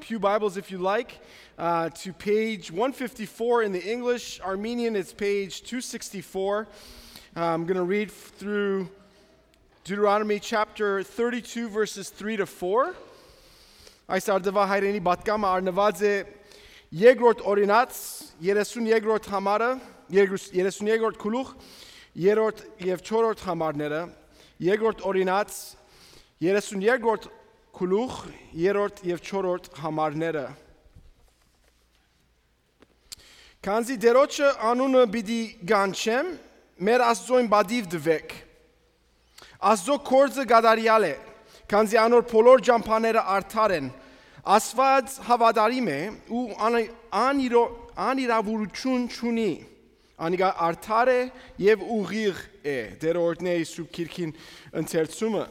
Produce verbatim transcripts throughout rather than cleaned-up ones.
Pew Bibles, if you like, uh, to page one fifty-four in the English. Armenian, it's page two sixty-four. Uh, I'm going to read through Deuteronomy chapter thirty-two, verses three to four. Այս արդուայ հայրենի պատգամը առնուած է երկրորդ օրինաց, երեսուն երկրորդ համարը, երկրորդ, երեսուն երկրորդ գլուխ, երրորդ եւ չորրորդ համարները, երկրորդ օրինաց, երեսուն երկրորդ գլուխ, երրորդ եւ չորրորդ համարները։ Քանզի Տէրոջը անունը պիտի կանչեմ, մեր Աստուծոյն պատիւ տուէք։ Աստուծոյ գործը կատարեալ է, քանզի անոր բոլոր ճամբաները արդար են։ Աստուած հաւատարիմ է ու ան-, անիրո-, անիրաւորութիւն չունի։ Անիկա արդար է եւ ուղիղ է։ Տէրը օրհնէ իր Սուրբ Գիրքին ընթերցումը։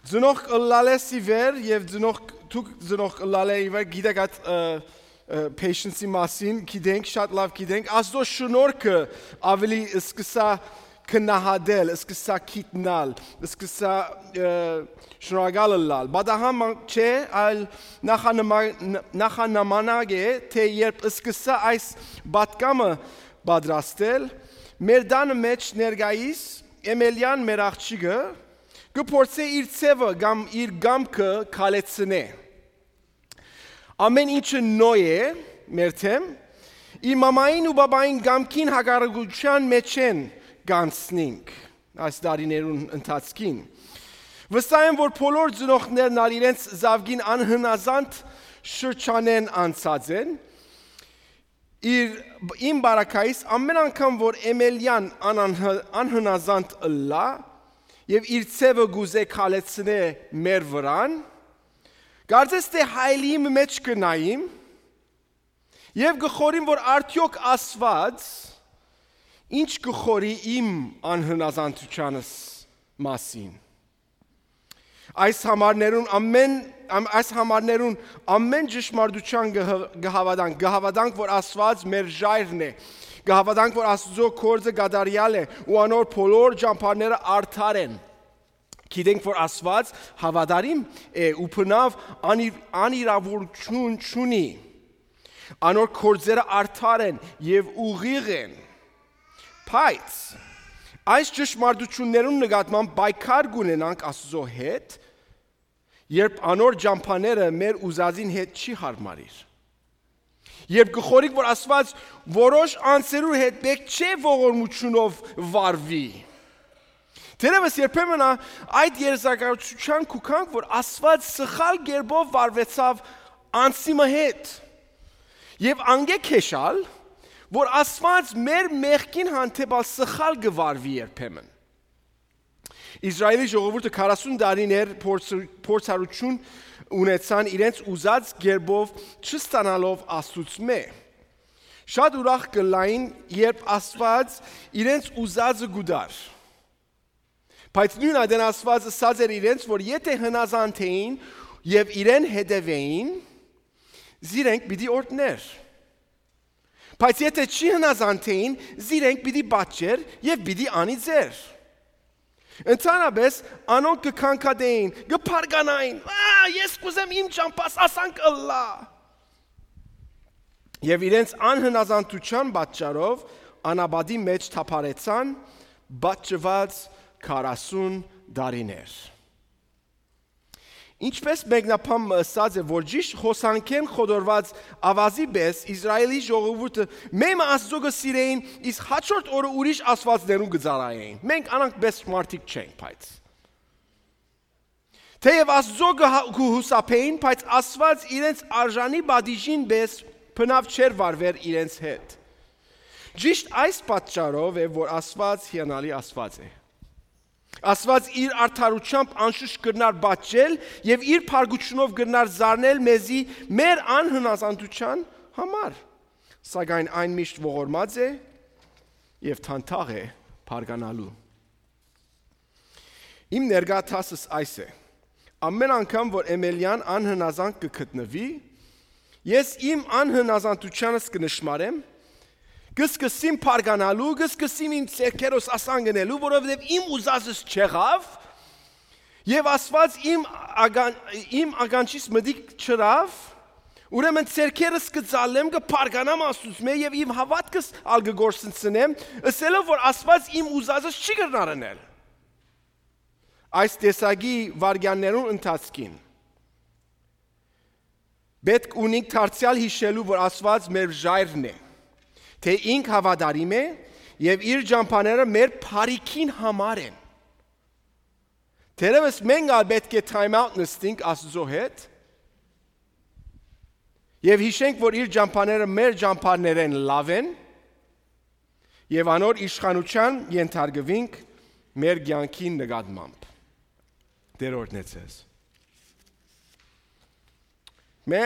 Ծնողք ըլլալէս ի վեր եւ ծնողք, դուք ծնողք ըլլալէ ի վեր, գիտեք այդ, ը, ը, patience-ի մասին, գիտենք, շատ լաւ գիտենք, Աստուծոյ շնորհքը ավելի սկսա քննահատել, սկսա գիտնալ, սկսա, ը, շնորհակալ ըլլալ։ Պատահան մը չէ, այլ նախանմա-, ն-, նախանամանակ է, թէ երբ սկսա այս պատգամը պատրաստել, մեր տանը մէջ ներկայիս Էմելիան մեր աղջիկը կը փորձէ իր ձեւը կամ իր կամքը քալեցնէ։ Ամէն ինչը նոյ է մեր դէմ, իր մամային ու պապային կամքին հակառակութեան մէջ են կանցնինք այս տարիներուն ընթացքին։ Վստահ եմ, որ բոլոր ծնողներն ալ իրենց զաւկին անհնազանդ շրջանէն անցած են, իր, իմ բարակայիս, ամէն անգամ որ Էմելիան անանհ-, անհնազանդ ըլլայ եւ իր ձեւը կուզէ քալեցնէ մեր վրան, կարծես թէ հայելիի մը մէջ կը նայիմ եւ կը խորհիմ, որ արդեօք Աստուած ինչ կը խորհի իմ անհնազանդութեանս մասին։ Այս համարներուն ամէն, ամ-, այս համարներուն ամէն ճշմարտութեան կը հը-, կը հաւատանք, կը հաւատանք, որ Աստուած մեր ժայռն է, կը հաւատանք, որ Աստուծոյ գործը կատարեալ է ու անոր բոլոր ճամբաները արդար են։ Գիտենք, որ Աստուած հաւատարիմ է ու բնաւ անիր-, անիրաւորութիւն չունի։ Անոր գործերը արդար են եւ ուղիղ են։ Բայց այս ճշմարտութիւններուն նկատմամբ պայքար կ'ունենանք Աստուծոյ հետ, երբ անոր ճամբաները մեր ուզածին հետ չի յարմարիր։ Երբ կը խորհինք, որ Աստուած որոշ անձերու հետ պէտք չէ ողորմութիւնով վարուի։ Թերեւս երբեմն ա-, այդ երազակայութեան կու գանք, որ Աստուած սխալ կերպով վարուեցաւ անձի մը հետ։ Եւ անկէ քեշալ, որ Աստուած մեր մեղքին հանդէպ ալ սխալ կը վարուի երբեմն։ Իսրայէլի ժողովուրդը քառասուն տարիներ փորձ-, փորձառութիւն ունեցան իրենց ուզած կերպով չստանալով Աստուծմէ։ Շատ ուրախ կ'ըլլային, երբ Աստուած իրենց ուզածը կու տար։ Բայց նոյն ատեն Աստուած ըսած էր իրենց, որ եթէ հնազանդ էին եւ իրեն հետեւէին, զիրենք պիտի օրհներ։ Բայց եթէ չի հնազանդ էին, զիրենք պիտի պատճեր եւ պիտի անիծեր։ Ընդհանրապես անոնք կը քանքատեին, կը փառկանային. «Ա, ես կ'ուզեմ իմ ճամբաս ասանք ըլլայ»։ Եւ իրենց անհնազանդութեան պատճառով անապատի մէջ թափառեցան, պատժուած քառասուն տարիներ։ Ինչպէս մեկնաբան մը ըսած է, որ ճիշդ հոսանքէն խոտորուած աւազի պէս Իսրայէլի ժողովուրդը մէ մը Աստուծոյ կը սիրէին, իսկ հաջորդ օրը ուրիշ աստուածներուն կը ծառայէին։ Մենք անանք պէս մարդիկ չենք, բայց թէեւ Աստուծոյ կը հա-, կը յուսափէին, բայց Աստուած իրենց արժանի պատիժին պէս բնաւ չէր վարուեր իրենց հետ։ Ճիշդ այս պատճառով է, որ Աստուած հիանալի Աստուած է։ Աստուած իր արդարութեամբ անշուշտ կրնար պատժել եւ իր փառքութիւնով կրնար զարնել մեզի մեր անհնազանդութեան համար, սակայն այն միշտ ողորմած է եւ դանդաղ է փառկանալու։ Իմ ներկայ դասս այս է. ամէն անգամ որ Էմելիան անհնազանդ կը գտնուի, ես իմ անհնազանդութեանս կը նշմարեմ, կը սկսեմ փառկանալու, կը սկսեմ իմ ձեռքերս ասան գնելու, որովհետեւ իմ ուզածս չեղաւ, Եւ Աստուած իմ ական-, իմ ականջիս մտիկ չըրաւ, ուրեմն ձեռքերս կը ծալեմ, կը պարկանամ Աստուծմէ եւ իմ հաւատքս ալ կը կորսնցնեմ, ըսելով որ Աստուած իմ ուզածս չի կրնար ընել։ Այս տեսակի վայրկեաններուն ընթացքին պէտք ունինք դարձեալ յիշելու որ Աստուած մեր ժայռն է, թէ ինք հաւատարիմ է եւ իր ճամբաները մեր բարիքին համար են։ Թերեւս մենք ալ պէտք է time out նստենք Աստուծոյ հետ եւ յիշենք որ իր ճամբաները մեր ճամբաներէն լաւ են եւ անոր իշխանութեան ենթարկուինք մեր կեանքին նկատմամբ։ Տէր օրհնե ձեզ։